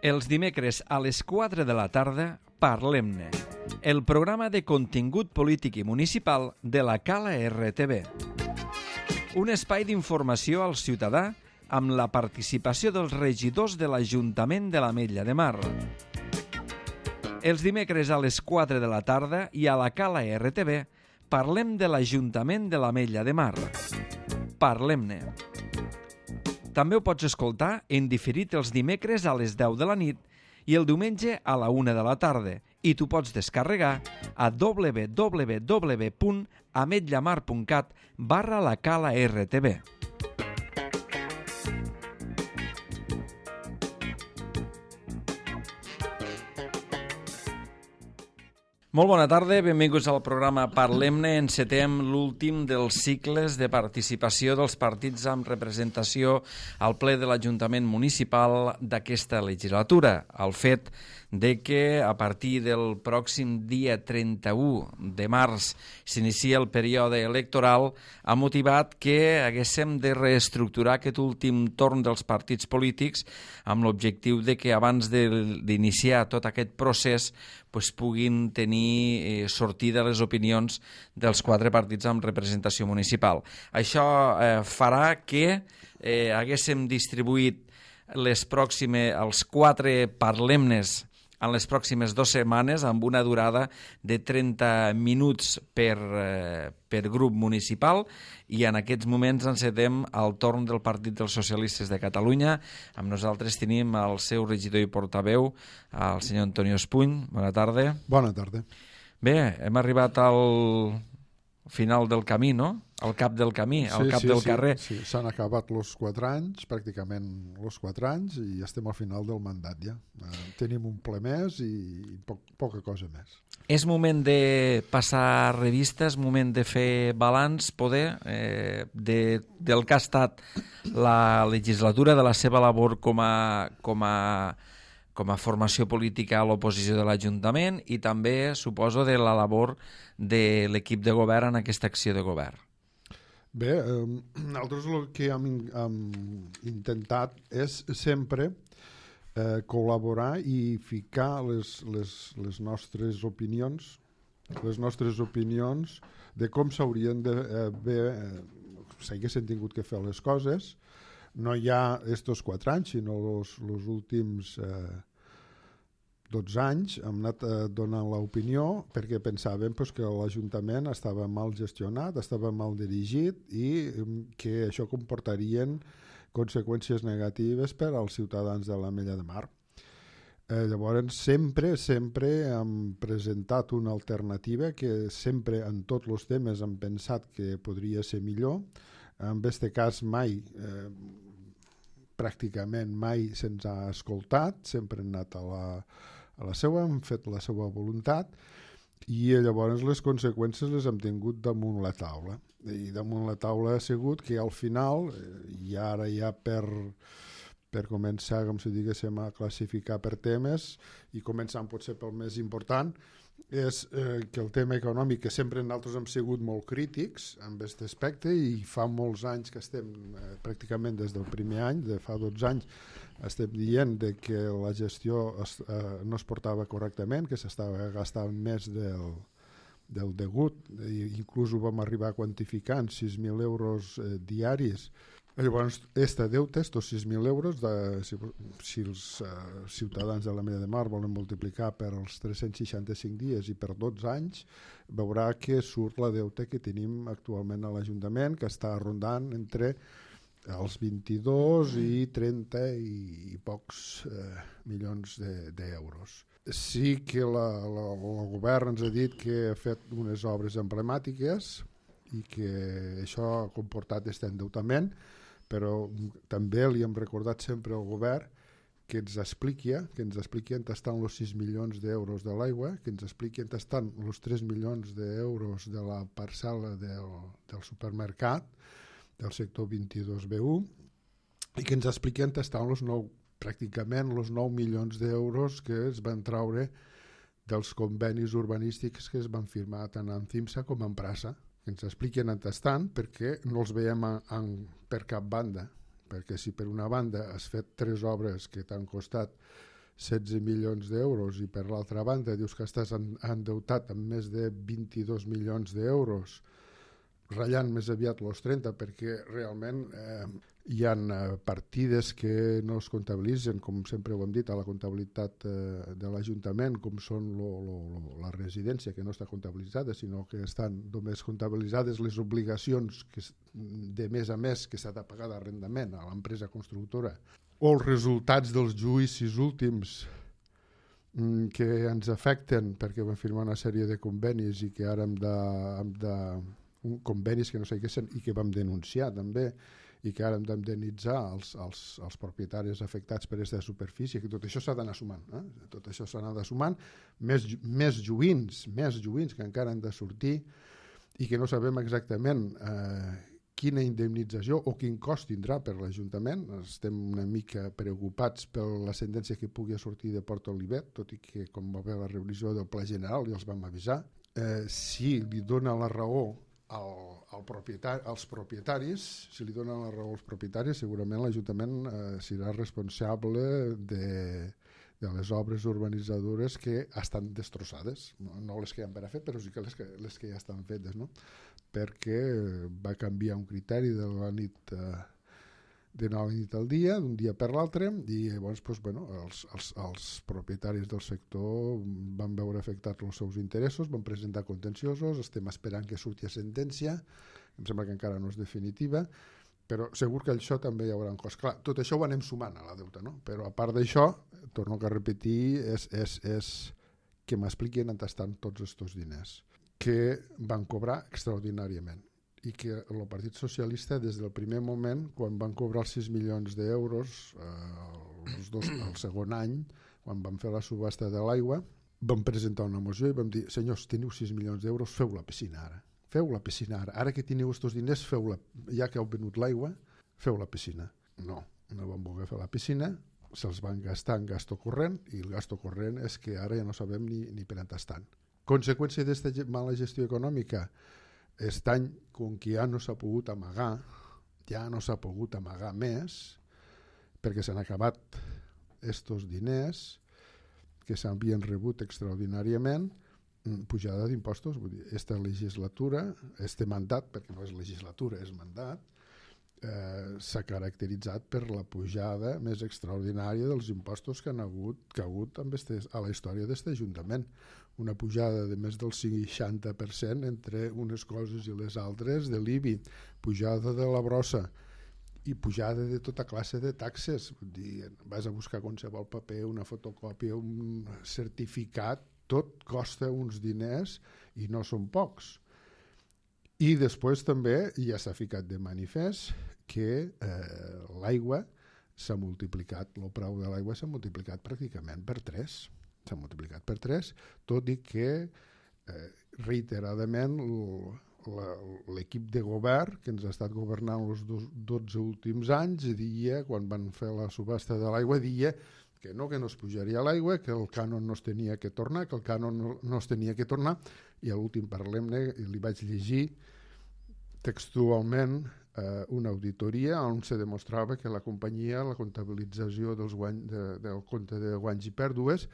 Els dimecres a les 4 de la tarda, Parlem-ne, el programa de contingut polític i municipal de la Cala RTV. Un espai d'informació al ciutadà amb la participació dels regidors de l'Ajuntament de l'Ametlla de Mar. Els dimecres a les 4 de la tarda i a la Cala RTV parlem de l'Ajuntament de l'Ametlla de Mar. Parlem-ne. També ho pots escoltar en diferit els dimecres a les 10 de la nit i el diumenge a la 1 de la tarda i t'ho pots descarregar a www.ametllamar.cat/la Cala RTV. Molt bona tarda, benvinguts al programa Parlem-ne. Encetem l'últim dels cicles de participació dels partits amb representació al ple de l'Ajuntament Municipal d'aquesta legislatura. El fet de que a partir del pròxim dia 31 de març s'inicia el període electoral ha motivat que haguéssim de reestructurar aquest últim torn dels partits polítics amb l'objectiu de que abans d'iniciar tot aquest procés puguin tenir sortida les opinions dels 4 partits amb representació municipal. Això farà que haguéssim distribuït els 4 parlemnes en les pròximes 2 setmanes amb una durada de 30 minuts per grup municipal i en aquests moments encetem el torn del Partit dels Socialistes de Catalunya. Amb nosaltres tenim el seu regidor i portaveu, el senyor Antonio Espuny. Bona tarda. Bona tarda. Bé, hem arribat al final del camí, no? Al cap del camí, al cap del carrer. Sí, s'han acabat els 4 anys, pràcticament els 4 anys, i estem al final del mandat ja. Tenim un ple més i poca cosa més. És moment de passar revistes, moment de fer balanç, poder, del que ha estat la legislatura, de la seva labor com a formació política a l'oposició de l'Ajuntament i també, suposo, de la labor de l'equip de govern en aquesta acció de govern. Bé, nosaltres el que hem intentat és sempre col·laborar i ficar les nostres opinions de com s'haurien s'haguessin tingut que fer les coses. No hi ha estos 4 anys, sinó els últims 12 anys hem anat donant l'opinió perquè pensàvem que l'Ajuntament estava mal gestionat, estava mal dirigit i que això comportarien conseqüències negatives per als ciutadans de l'Ametlla de Mar. Llavors sempre hem presentat una alternativa que sempre en tots els temes hem pensat que podria ser millor. En aquest cas pràcticament mai se'ns ha escoltat, sempre hem anat a la seva, hem fet la seva voluntat i llavors les conseqüències les hem tingut damunt la taula. I damunt la taula ha sigut que al final, i ara ja per començar, com si diguéssim, a classificar per temes i començant potser pel més important, és que el tema econòmic, que sempre nosaltres hem sigut molt crítics amb aquest aspecte i fa molts anys que estem, pràcticament des del primer any, de fa 12 anys, estem dient que la gestió no es portava correctament, que s'estava gastant més del degut, inclús ho vam arribar a quantificar en 6.000 euros diaris. Llavors, este deute, estos 6.000 euros, si els ciutadans de l'Ametlla de Mar volen multiplicar per els 365 dies i per 12 anys, veurà que surt la deute que tenim actualment a l'Ajuntament, que està rondant entre els 22 i 30 i pocs milions d'euros. Sí que el govern ens ha dit que ha fet unes obres emblemàtiques i que això ha comportat aquest endeutament, però també li hem recordat sempre al govern que ens expliqui on estan els 6 milions d'euros de l'aigua, que ens expliqui on estan els 3 milions d'euros de la parcel·la del supermercat, del sector 22B1, i que ens expliqui on estan pràcticament els 9 milions d'euros que es van traure dels convenis urbanístics que es van firmar tant en CIMSA com en Prasa, que ens expliquen on estan perquè no els veiem per cap banda, perquè si per una banda has fet 3 obres que t'han costat 16 milions d'euros i per l'altra banda dius que estàs endeutat amb més de 22 milions d'euros, ratllant més aviat els 30 perquè realment hi ha partides que no es comptabilitzen, com sempre ho hem dit, a la comptabilitat de l'Ajuntament, com són la residència, que no està comptabilitzada, sinó que estan només comptabilitzades les obligacions de mes a mes que s'ha de pagar d'arrendament a l'empresa constructora, o els resultats dels judicis últims que ens afecten perquè vam firmar una sèrie de convenis i que ara hem de convenis que no sé què són i que vam denunciar també i que ara hem d'indemnitzar els propietaris afectats per aquesta superfície, que tot això s'ha d'anar sumant, tot això s'ha d'anar sumant, més joguins que encara han de sortir i que no sabem exactament quina indemnització o quin cost tindrà per l'Ajuntament. Estem una mica preocupats per la sentència que pugui sortir de Port Olivet, tot i que com va haver la revisió del Pla General ja els vam avisar. Si li dona la raó als propietaris, segurament l'Ajuntament serà responsable de les obres urbanitzadores que estan destrossades, no les que han per a fer, però sí que les que ja estan fetes, no? Perquè va canviar un criteri de la nit al dia, d'un dia per l'altre, i llavors els propietaris del sector van veure afectats els seus interessos, van presentar contenciosos, estem esperant que surti a sentència, em sembla que encara no és definitiva, però segur que això també hi haurà un cost. Clar, tot això ho anem sumant a la deuta, no? Però a part d'això, torno a repetir, és que m'expliquin on estan tots aquests diners que van cobrar extraordinàriament i que el Partit Socialista des del primer moment, quan van cobrar els 6 milions d'euros el segon any, quan van fer la subhasta de l'aigua, vam presentar una moció i vam dir, senyors, teniu 6 milions d'euros, feu la piscina ara. Feu la piscina ara que teniu aquests diners, ja que heu venut l'aigua, feu la piscina. No van voler fer la piscina, se'ls van gastar en gasto corrent i el gasto corrent és que ara ja no sabem ni per on estan. Conseqüència d'aquesta mala gestió econòmica, aquest any, com que ja no s'ha pogut amagar més, perquè s'han acabat aquests diners que s'havien rebut extraordinàriament, pujada d'impostos. Vull dir, aquesta legislatura, este mandat, perquè no és legislatura, és mandat, s'ha caracteritzat per la pujada més extraordinària dels impostos que ha hagut a la història d'aquest Ajuntament. Una pujada de més del 60% entre unes coses i les altres de l'IBI, pujada de la brossa i pujada de tota classe de taxes. Vull dir, vas a buscar qualsevol paper, una fotocòpia, un certificat, tot costa uns diners i no són pocs. I després també ja s'ha ficat de manifest que l'aigua s'ha multiplicat, el preu de l'aigua s'ha multiplicat pràcticament per 3. S'ha multiplicat per 3, tot i que reiteradament l'equip de govern que ens ha estat governant els 12 últims anys dia, quan van fer la subhasta de l'aigua, dia que no es pujaria l'aigua, que el cànon no es tenia que tornar, i a l'últim Parlem-ne li vaig llegir textualment una auditoria on se demostrava que la companyia, la comptabilització del compte de guanys i pèrdues,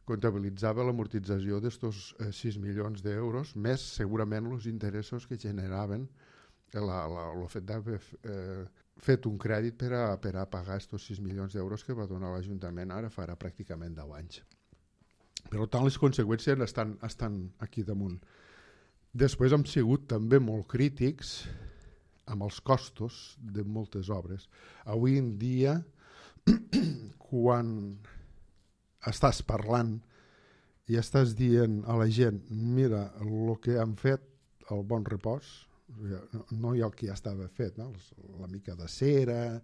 comptabilitzava l'amortització d'estos 6 milions d'euros, més segurament els interessos que generaven el fet d'haver fet un crèdit per a pagar estos 6 milions d'euros que va donar l'Ajuntament ara farà pràcticament 10 anys. Per tant, les conseqüències estan aquí damunt. Després hem sigut també molt crítics amb els costos de moltes obres. Avui en dia, quan estàs parlant i estàs dient a la gent, mira, el que han fet el Bon Repòs, no hi ha el que ja estava fet, no? La mica de cera,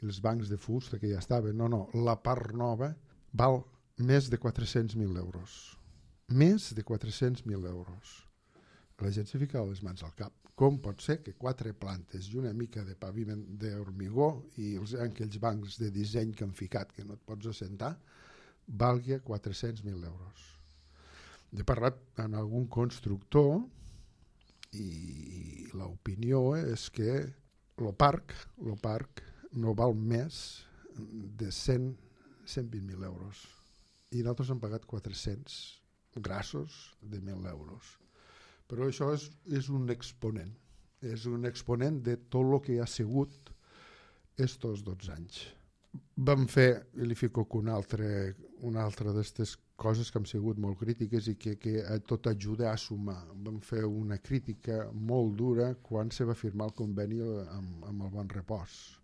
els bancs de fusta que ja estaven, no, la part nova val més de 400.000 euros. Més de 400.000 euros. La gent s'ha ficat les mans al cap. Com pot ser que 4 plantes i una mica de paviment d'hormigó i aquells bancs de disseny que han ficat que no et pots assentar valgui 400.000 euros? He parlat amb algun constructor i l'opinió és que el parc no val més de 120.000 euros. i nosaltres hem pagat 400 grassos de 1.000 euros. Però això és un exponent. És un exponent de tot el que ha sigut estos 12 anys. Vam fer, i li fico una altra d'aquestes coses que han sigut molt crítiques i que tot ajuda a sumar. Vam fer una crítica molt dura quan se va firmar el conveni amb el Bon Repòs.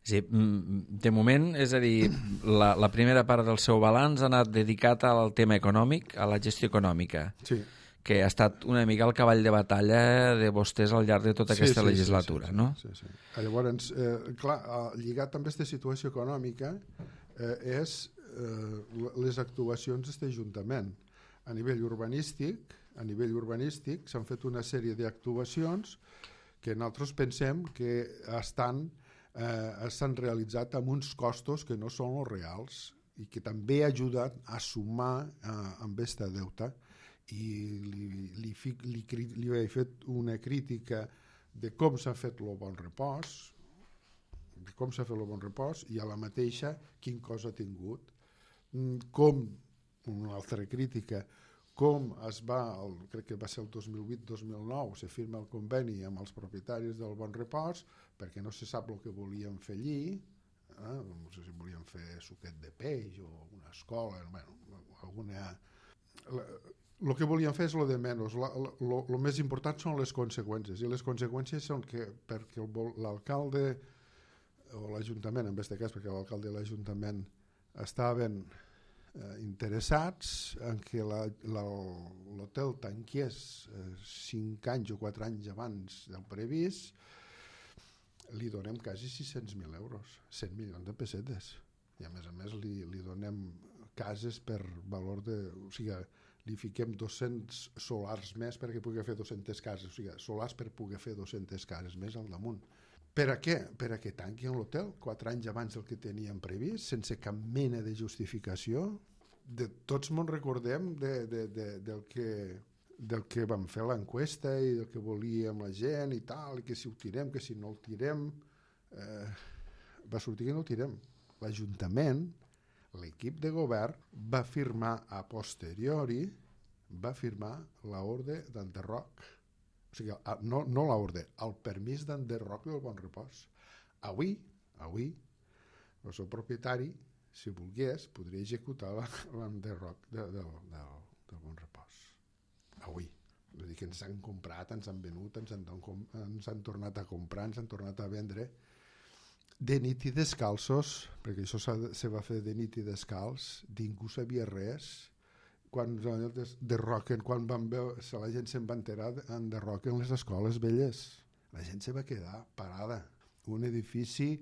Sí, de moment, és a dir, la primera part del seu balanç ha anat dedicat al tema econòmic, a la gestió econòmica, Sí. que ha estat una mica el cavall de batalla de vostès al llarg de tota aquesta legislatura, no? Sí. Llavors, clar, lligat amb aquesta situació econòmica és les actuacions d'aquest Ajuntament. A nivell urbanístic s'han fet una sèrie d'actuacions que nosaltres pensem que s'han realitzat amb uns costos que no són els reals i que també ha ajudat a sumar amb aquesta deuta. I li he fet una crítica de com s'ha fet el Bon Repòs, i a la mateixa quin cost ha tingut, com una altra crítica, com crec que va ser el 2008-2009, se firma el conveni amb els propietaris del Bon Repòs perquè no se sap el que volien fer allí, no sé si volien fer suquet de peix o una escola, alguna... El que volien fer és el de menys. El més important són les conseqüències, i les conseqüències són que perquè l'alcalde o l'Ajuntament, en aquest cas perquè l'alcalde i l'Ajuntament estaven interessats en que l'hotel tanqués 5 anys o 4 anys abans del previst, li donem quasi 600.000 euros, 100 milions de pessetes, i a més li donem cases per valor de... O sigui, li fiquem 200 solars més perquè pugui fer 200 cases, o sigui, solars per poder fer 200 cases més al damunt. Per a què? Per a que tanquin l'hotel 4 anys abans del que teníem previst, sense cap mena de justificació. Tots me'n recordem del que vam fer l'enquesta i del que volíem la gent i tal, i que si ho tirem, que si no el tirem... Va sortir que no el tirem. L'Ajuntament, l'equip de govern, va firmar a posteriori, l'ordre d'enderroc. O sigui, no l'ordre, el permís d'enderroc del Bon Repòs. Avui, el seu propietari, si volgués, podria executar l'enderroc del Bon Repòs. Avui. Vull dir que ens han comprat, ens han venut, ens han tornat a comprar, ens han tornat a vendre de nit i descalços, perquè això se va fer de nit i descalç, ningú sabia res. Quan derroquen, quan van veure, la gent se'n va enterar, enderroquen les escoles velles. La gent se va quedar parada. Un edifici,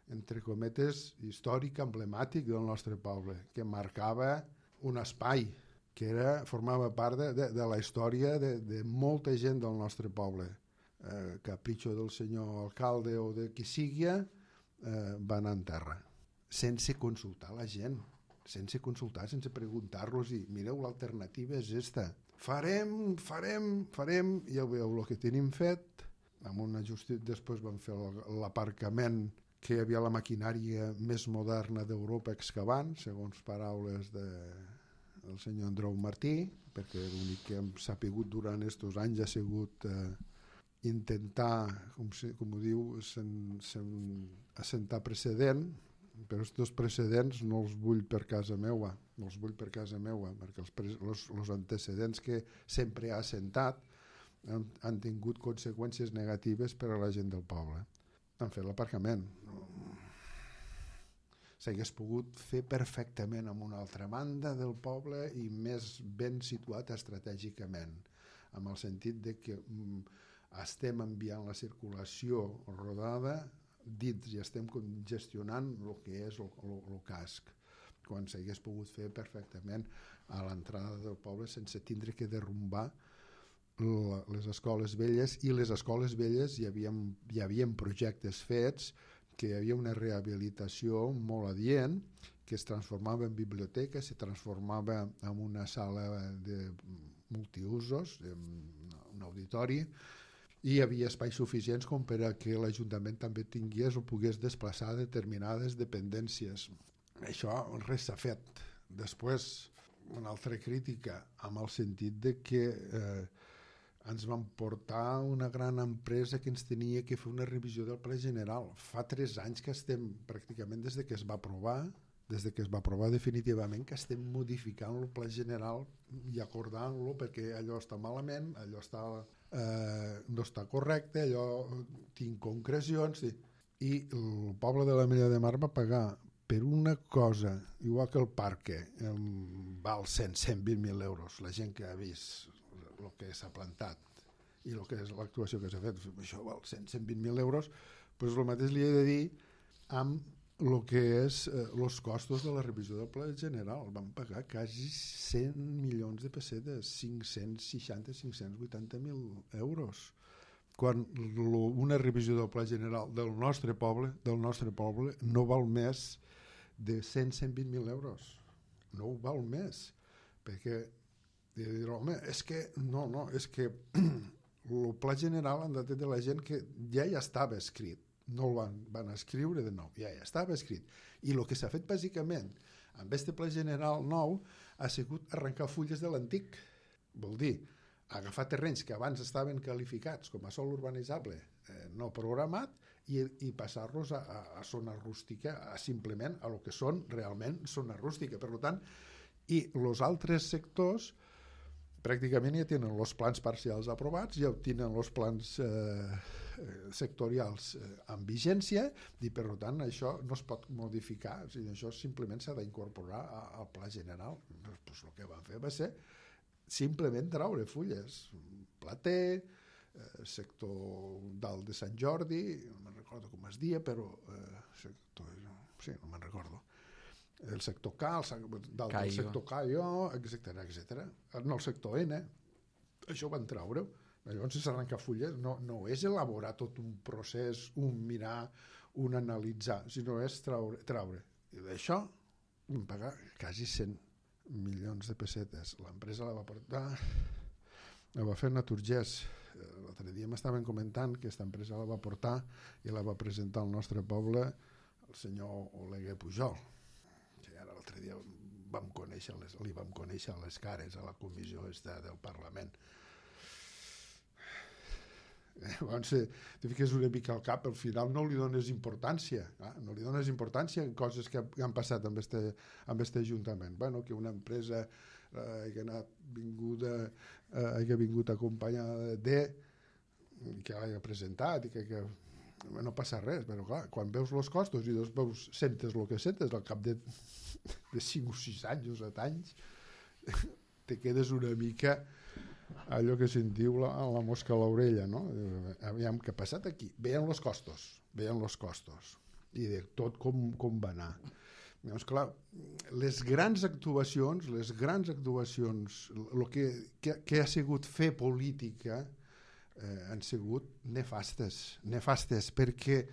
entre cometes, històric, emblemàtic del nostre poble, que marcava un espai, que formava part de la història de molta gent del nostre poble. Capritxo del senyor alcalde o de qui sigui, va anar en terra, sense consultar la gent, sense preguntar-los i mireu, l'alternativa és esta. Farem, i ja veieu el que tenim fet. Amb una després vam fer l'aparcament, que hi havia la maquinària més moderna d'Europa excavant, segons paraules del senyor Andreu Martí, perquè l'únic que hem sapigut durant aquests anys ha sigut intentar, com ho diu, assentar precedent, però aquests precedents no els vull per casa meua, perquè els antecedents que sempre ha assentat han tingut conseqüències negatives per a la gent del poble. Han fet l'aparcament. S'hagués pogut fer perfectament en una altra banda del poble i més ben situat estratègicament, amb el sentit de que estem enviant la circulació rodada dins i estem gestionant el que és el casc, quan s'hagués pogut fer perfectament a l'entrada del poble sense tindre que derrumbar les escoles velles. I les escoles velles hi havia projectes fets, que hi havia una rehabilitació molt adient, que es transformava en biblioteca, se transformava en una sala de multiusos, un auditori, i hi havia espais suficients com per a que l'Ajuntament també tingués o pogués desplaçar determinades dependències. Això res s'ha fet. Després, una altra crítica, amb el sentit de que ens van portar una gran empresa que ens tenia que fer una revisió del Pla General. Fa 3 anys que estem, pràcticament des de que es va aprovar definitivament, que estem modificant el Pla General i acordant-lo perquè allò està malament, allò no està correcte, allò tinc concrecions. I el poble de l'Ametlla de Mar va pagar per una cosa, igual que el parque, val 120.000 euros, la gent que ha vist el que s'ha plantat i el que és l'actuació que s'ha fet, això val 120.000 euros, doncs el mateix li he de dir amb el que és els costos de la revisió del Pla General. Van pagar quasi 100 milions de pessetes, 580.000 euros. Quan una revisió del Pla General del nostre poble no val més de 120.000 euros. No ho val més, perquè dir, home, és que el Pla General han de tenir la gent que ja estava escrit, no el van escriure de nou, ja estava escrit. I el que s'ha fet bàsicament amb aquest Pla General nou ha sigut arrencar fulles de l'antic. Vol dir, agafar terrenys que abans estaven qualificats com a sòl urbanitzable no programat i passar-los a zona rústica, simplement a lo que són realment zona rústica. Per tant, i els altres sectors pràcticament ja tenen els plans parcials aprovats, ja tenen els plans sectorials en vigència i per tant això no es pot modificar, o sigui, això simplement s'ha d'incorporar al Pla General. Pues el que van fer va ser simplement traure fulles, Plater, sector dalt de Sant Jordi, no me'n recordo com es dia, però sí, no me'n recordo, el sector K, dalt del sector Caio, etc. En el sector N, això van traure. Llavors, si s'arrenca fulles, no és elaborar tot un procés, un mirar, un analitzar, sinó és traure. I d'això vam pagar quasi 100 milions de pessetes. L'empresa la va portar, la va fer Naturgés. L'altre dia m'estaven comentant que aquesta empresa la va portar i la va presentar al nostre poble el senyor Oleguer Pujol. I ara l'altre dia li vam conèixer les cares a la comissió del Parlament. Llavors te fiques una mica al cap, al final no li dones importància, no li dones importància en coses que han passat amb este Ajuntament. Bueno, que una empresa que ha vingut acompanyada que l'hagi presentat i que no passa res, però clar, quan veus els costos i sentes el que sentes al cap de 5 o 6 anys o 7 anys, te quedes una mica allò que se'n diu la mosca a l'orella, no? Aviam què ha passat aquí. Veien els costos i de tot com va anar. Llavors, clar, les grans actuacions, el que ha sigut fer política han sigut nefastes, perquè,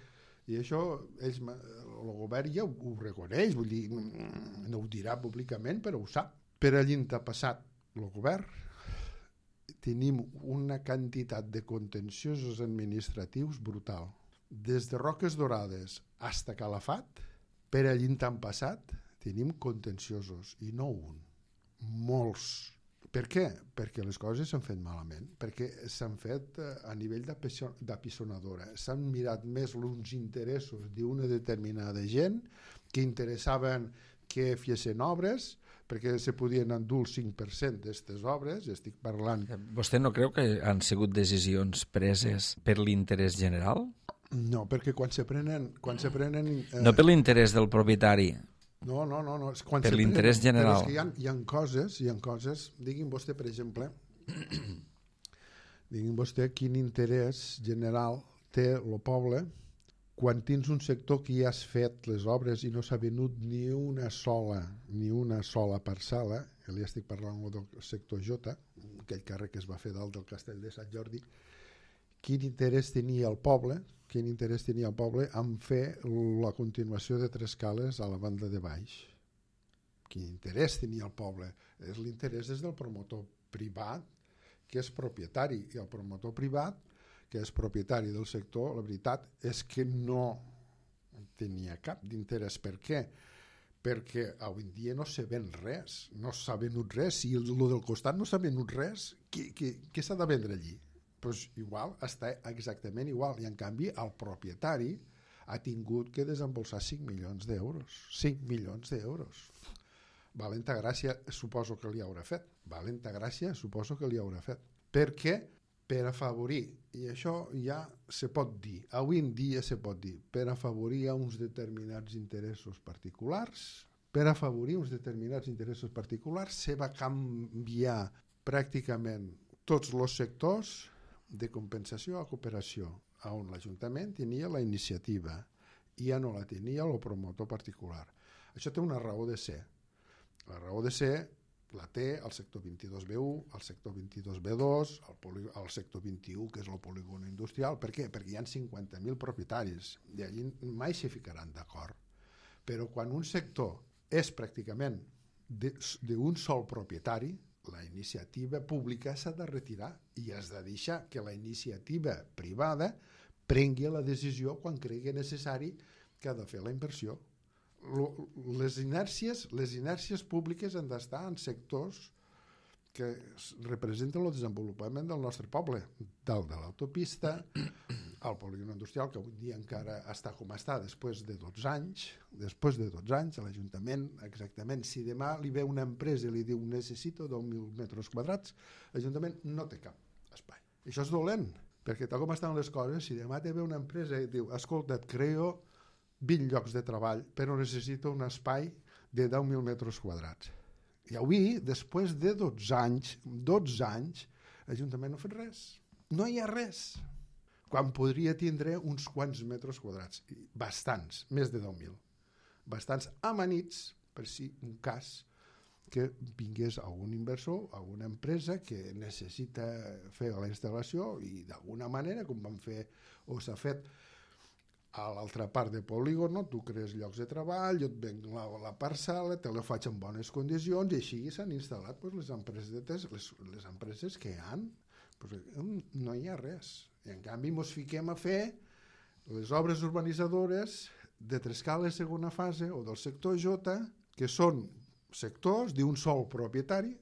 i això el govern ja ho reconeix, vull dir, no ho dirà públicament, però ho sap. Per allí ha passat el govern, tenim una quantitat de contenciosos administratius brutal. Des de Roques Dorades fins a Calafat, per allí han passat, tenim contenciosos, i no un, molts. Per què? Perquè les coses s'han fet malament, perquè s'han fet a nivell d'apisonadora. S'han mirat més els interessos d'una determinada gent que interessaven que fessin obres, perquè se podien endur el 5% d'aquestes obres, estic parlant... Vostè no creu que han sigut decisions preses per l'interès general? No, perquè quan se prenen... No per l'interès del propietari. No. Per l'interès general. Però és que hi ha coses... Digui'm vostè, per exemple, quin interès general té el poble quan tens un sector que ja has fet les obres i no s'ha venut ni una sola parcel·la, que li estic parlant del sector J, aquell carrer que es va fer dalt del castell de Sant Jordi, quin interès tenia el poble en fer la continuació de 3 cales a la banda de baix? Quin interès tenia el poble? L'interès és del promotor privat, que és propietari, i el promotor privat, que és propietari del sector, la veritat és que no tenia cap d'interès. Per què? perquè avui en dia no se ven res, no s'ha venut res. Si el del costat no s'ha venut res, què s'ha de vendre allí? Pues igual, està exactament igual, i en canvi el propietari ha tingut que desembolsar 5 milions d'euros. 5 milions d'euros. Valenta gràcia suposo que li haurà fet. Valenta gràcia suposo que li haurà fet. Per què? Per afavorir, i això ja se pot dir, avui en dia se pot dir, per afavorir a uns determinats interessos particulars, se va canviar pràcticament tots els sectors de compensació a cooperació, on l'Ajuntament tenia la iniciativa i ja no la tenia el promotor particular. Això té una raó de ser. La raó de ser la té el sector 22B1, el sector 22B2, el sector 21, que és el polígon industrial. Per què? Perquè hi ha 50.000 propietaris i allí mai s'hi ficaran d'acord. Però quan un sector és pràcticament d'un sol propietari, la iniciativa pública s'ha de retirar i has de deixar que la iniciativa privada prengui la decisió quan cregui necessari que ha de fer la inversió. Les inèrcies públiques han d'estar en sectors que representen el desenvolupament del nostre poble, del de l'autopista, el polígon industrial, que avui dia encara està com està després de 12 anys, a l'Ajuntament, exactament, si demà li ve una empresa i li diu necessito 10.000 metres quadrats, l'Ajuntament no té cap espai. Això és dolent, perquè tal com estan les coses, si demà te ve una empresa i diu, escolta, et creo 20 llocs de treball, però necessito un espai de 10.000 metres quadrats. I avui, després de 12 anys, l'Ajuntament no ha fet res. No hi ha res. Quan podria tindre uns quants metres quadrats. Bastants, més de 10.000. Bastants amanits, per si un cas que vingués algun inversor, alguna empresa que necessita fer la instal·lació i d'alguna manera, com van fer o s'ha fet a l'altra part de polígon, tu crees llocs de treball, jo et venc la parcel·la, te la faig en bones condicions i així s'han instal·lat les empreses que hi ha. No hi ha res. I en canvi ens fiquem a fer les obres urbanitzadores de Trescales segona fase o del sector J, que són sectors d'un sol propietari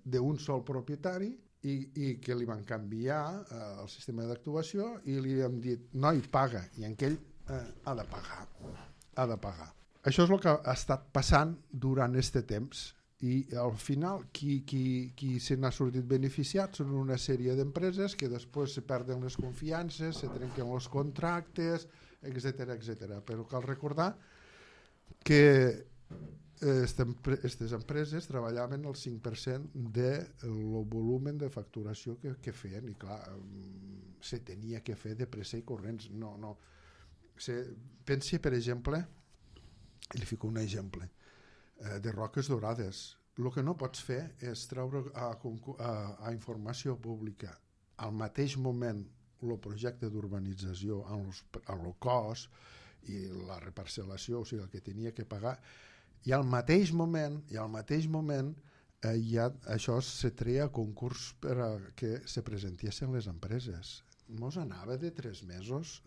i que li van canviar el sistema d'actuació i li hem dit, noi, paga, i en aquell ha de pagar. Això és el que ha estat passant durant aquest temps i al final qui se n'ha sortit beneficiat són una sèrie d'empreses que després se perden les confiances, se trenquen els contractes, etc. Però cal recordar que aquestes empreses treballaven el 5% del volum de facturació que feien i clar, se tenia que fer de pressa i corrents. No. Pensi, per exemple, li fico un exemple, de Roques Dorades. El que no pots fer és treure a informació pública al mateix moment el projecte d'urbanització amb el cost i la reparcel·lació, o sigui, el que tenia que pagar, i al mateix moment això se treia a concurs per a que se presentessin les empreses. Mos anava de 3 mesos,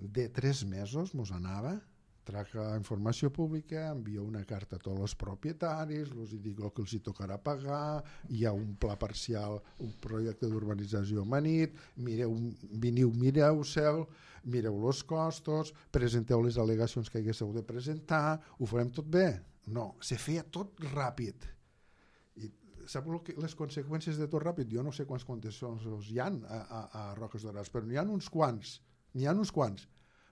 mos anava, traca informació pública, envia una carta a tots els propietaris, els dic el que els tocarà pagar, hi ha un pla parcial, un projecte d'urbanització amanit, mireu-se'l, mireu els costos, presenteu les al·legacions que haguéssiu de presentar, ho farem tot bé. No, se feia tot ràpid. Sap les conseqüències de tot ràpid? Jo no sé quants contenciosos hi ha a Roques Dorades, però n'hi ha uns quants.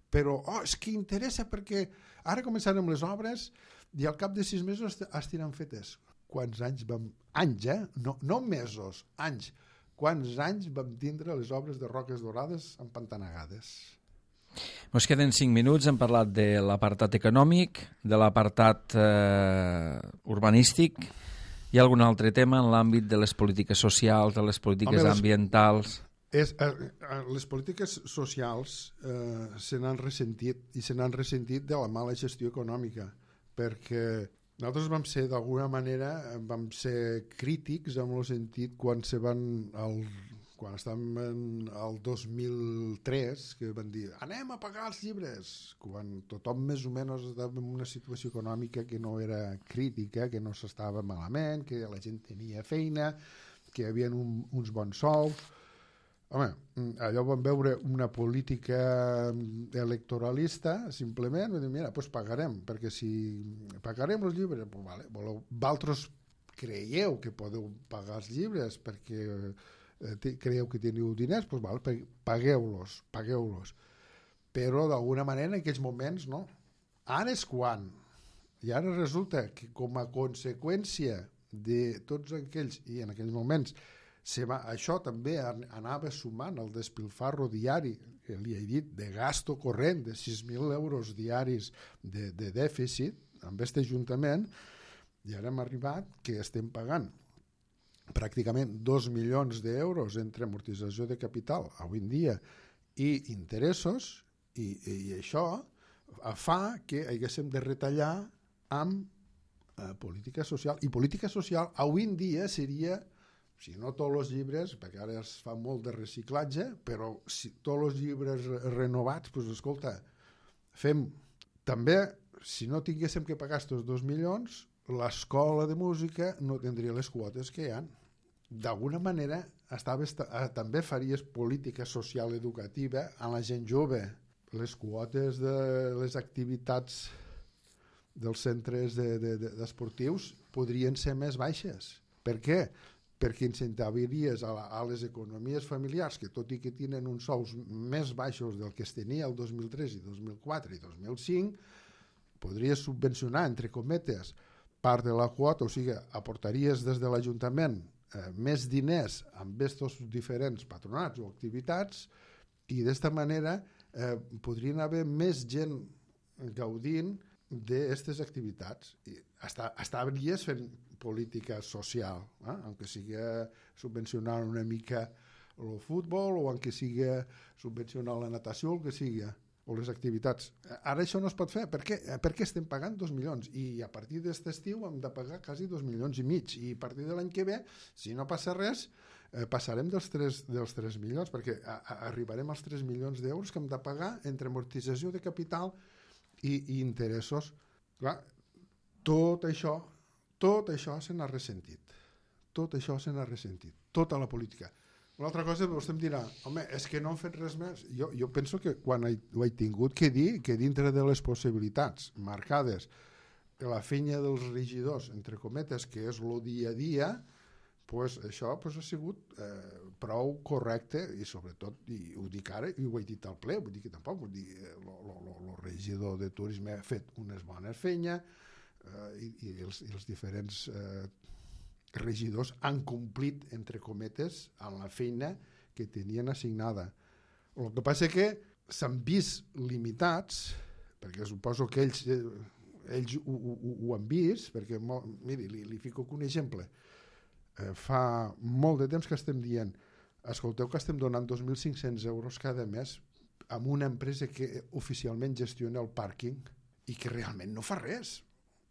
Però és que interessa perquè ara començarem les obres i al cap de 6 mesos estiran fetes. Quants anys no mesos, anys. Quants anys vam tindre les obres de Roques Dorades empantanegades? Ens queden 5 minuts, hem parlat de l'apartat econòmic, de l'apartat urbanístic. Hi ha algun altre tema en l'àmbit de les polítiques socials, de les polítiques ambientals? Les polítiques socials se n'han ressentit de la mala gestió econòmica, perquè nosaltres vam ser, d'alguna manera, crítics en el sentit quan se van quan estàvem al 2003, que van dir anem a pagar els llibres, quan tothom més o menys estava en una situació econòmica que no era crítica, que no s'estava malament, que la gent tenia feina, que hi havia uns bons sous. Home, allò vam veure una política electoralista, simplement, vam dir, mira, doncs pagarem, perquè si pagarem els llibres, doncs vale, vosaltres creieu que podeu pagar els llibres perquè creieu que teniu diners, doncs val, pagueu-los. Però d'alguna manera en aquells moments no. Ara és quan. I ara resulta que com a conseqüència de tots aquells, i en aquells moments això també anava sumant el despilfarro diari, que li he dit, de gasto corrent de 6.000 euros diaris de dèficit amb aquest ajuntament, i ara hem arribat que estem pagant pràcticament 2 milions d'euros entre amortització de capital avui en dia i interessos, i això fa que haguéssim de retallar amb política social. I política social avui en dia seria, si no tots els llibres, perquè ara es fa molt de reciclatge, però si tots els llibres renovats, doncs escolta, fem també, si no tinguéssim que pagar aquests 2 milions, l'escola de música no tindria les quotes que hi ha. D'alguna manera també faries política social educativa a la gent jove. Les quotes de les activitats dels centres esportius podrien ser més baixes. Per què? Perquè incentivaries a les economies familiars, que tot i que tenen uns sous més baixos del que es tenia el 2003 i 2004 i 2005, podries subvencionar, entre cometes, part de la quota, o sigui, aportaries des de l'Ajuntament més diners amb aquests diferents patronats o activitats, i d'esta manera podrien haver més gent gaudint d'aquestes activitats. Estaries fent política social, aunque siga subvencionar una mica el futbol o aunque siga subvencionar la natació, el que siga, o les activitats. Ara això no es pot fer. Per què? Perquè estem pagant 2 milions i a partir d'aquest estiu hem de pagar quasi 2 milions i mig, i a partir de l'any que ve, si no passa res, passarem dels 3 milions, perquè arribarem als 3 milions d'euros que hem de pagar entre amortització de capital i interessos. Clar, tot això se n'ha ressentit. Tota la política. Una altra cosa, vostè em dirà, home, és que no han fet res més. Jo penso que quan ho he tingut que dir, que dintre de les possibilitats marcades la feina dels regidors, entre cometes, que és el dia a dia, pues això ha sigut prou correcte, i sobretot, i ho dic ara, i ho he dit al ple, vull dir que tampoc, el regidor de turisme ha fet unes bones feines, i els diferents regidors han complit, entre cometes, amb la feina que tenien assignada. El que passa és que s'han vist limitats, perquè suposo que ells ho han vist, perquè, miri, li fico un exemple. Fa molt de temps que estem dient, escolteu que estem donant 2.500 euros cada mes a una empresa que oficialment gestiona el pàrquing i que realment no fa res.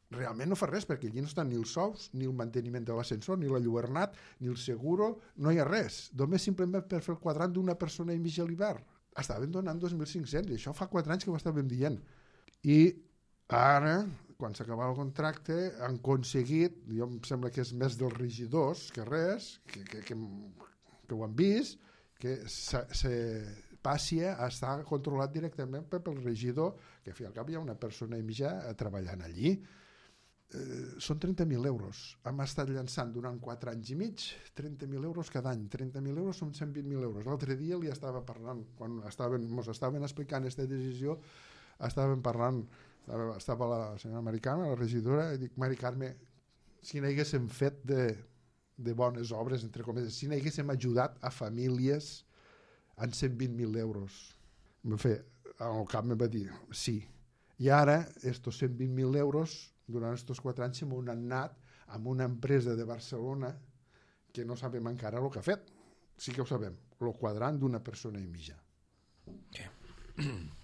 Realment no fa res, perquè allí no estan ni els sous, ni el manteniment de l'ascensor, ni l'enlluernat, ni el seguro, no hi ha res. Només simplement per fer el quadrant d'una persona i mig a l'hivern. Estaven donant 2.500, i això fa 4 anys que ho estàvem dient. I ara, quan s'acaba el contracte, han aconseguit, jo em sembla que és més dels regidors que res, que ho han vist, que passi a estar controlat directament pel regidor, que al cap hi ha una persona i mitja treballant allí. Són 30.000 euros. Hem estat llançant durant 4 anys i mig 30.000 euros cada any. 30.000 euros són 120.000 euros. L'altre dia li estava parlant, quan ens estaven explicant aquesta decisió, estava la senyora Americana, la regidora, i dic, Mari Carme, si n'haguéssim fet de bones obres, entre cometes, si n'haguéssim ajudat a famílies en 120.000 euros. Al cap em va dir, sí. I ara, estos 120.000 euros, durant aquests 4 anys, hem anat amb una empresa de Barcelona que no sabem encara el que ha fet. Sí que ho sabem, el quadrant d'una persona i mitja.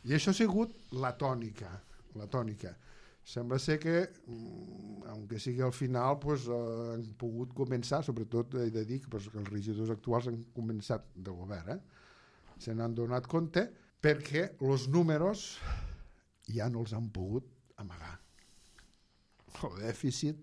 I això ha sigut la tònica. Sembla ser que, aunque sigui al final, pues, han pogut començar, sobretot he de dir que els regidors actuals han començat de govern, se n'han donat compte perquè els números ja no els han pogut amagar. El dèficit,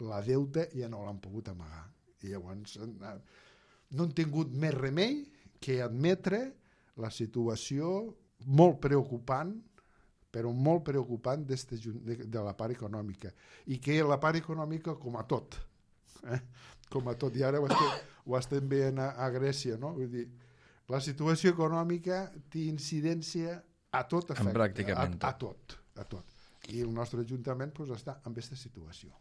la deute ja no l'han pogut amagar. I llavors no han tingut més remei que admetre la situació molt preocupant, però molt preocupant de la part econòmica. I que la part econòmica, com a tot, com a tot, i ara ho estem veient a Grècia, no? Vull dir, la situació econòmica té incidència a tot efecte, pràcticament a tot. I el nostre Ajuntament pues, està en aquesta situació.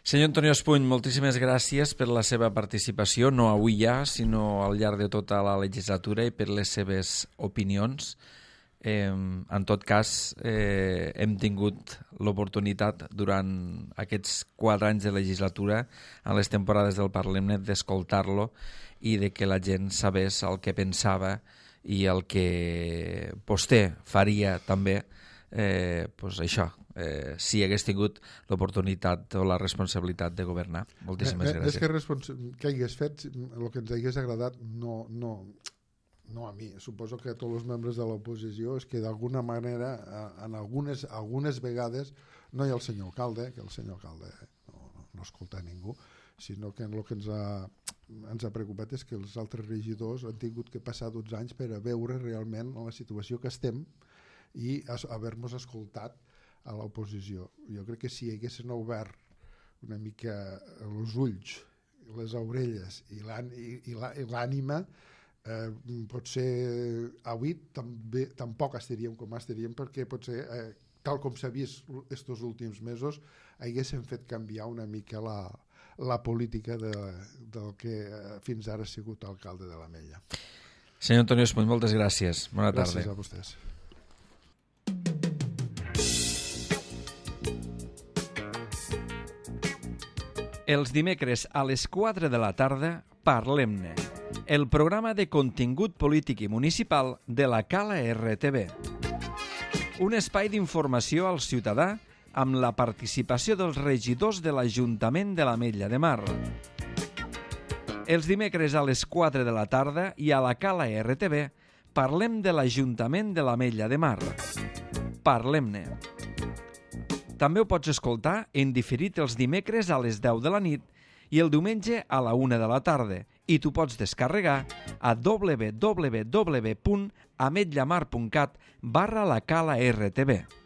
Senyor Antonio Espuny, moltíssimes gràcies per la seva participació, no avui ja, sinó al llarg de tota la legislatura i per les seves opinions. En tot cas, hem tingut l'oportunitat durant aquests 4 anys de legislatura, a les temporades del Parlement, d'escoltar-lo i de que la gent sabés el que pensava i el que vostè faria també, això, si hagués tingut l'oportunitat o la responsabilitat de governar. Moltíssimes gràcies. És que hagués fet el que ens hagués agradat, no a mi, suposo que a tots els membres de l'oposició, és que d'alguna manera, en algunes vegades, no hi ha el senyor alcalde, que el senyor alcalde no escolta ningú, sinó que el que ens ha preocupat és que els altres regidors han tingut que passar 12 anys per a veure realment la situació que estem i haver-nos escoltat a l'oposició. Jo crec que si haguessin obert una mica els ulls, les orelles i l'ànima, potser avui tampoc estaríem com estaríem, perquè potser, tal com s'ha vist estos últims mesos, haguessin fet canviar una mica la política del que fins ara ha sigut alcalde de l'Ametlla. Senyor Antonio Espuny, moltes gràcies. Bona tarda. Gràcies a vostès. Els dimecres a les 4 de la tarda, Parlem-ne, el programa de contingut polític i municipal de la Cala RTV. Un espai d'informació al ciutadà amb la participació dels regidors de l'Ajuntament de l'Ametlla de Mar. Els dimecres a les 4 de la tarda i a la Cala RTV parlem de l'Ajuntament de l'Ametlla de Mar. Parlem-ne. També ho pots escoltar en diferit els dimecres a les 10 de la nit i el diumenge a la 1 de la tarda i t'ho pots descarregar a www.ametllamar.cat/la Cala RTV.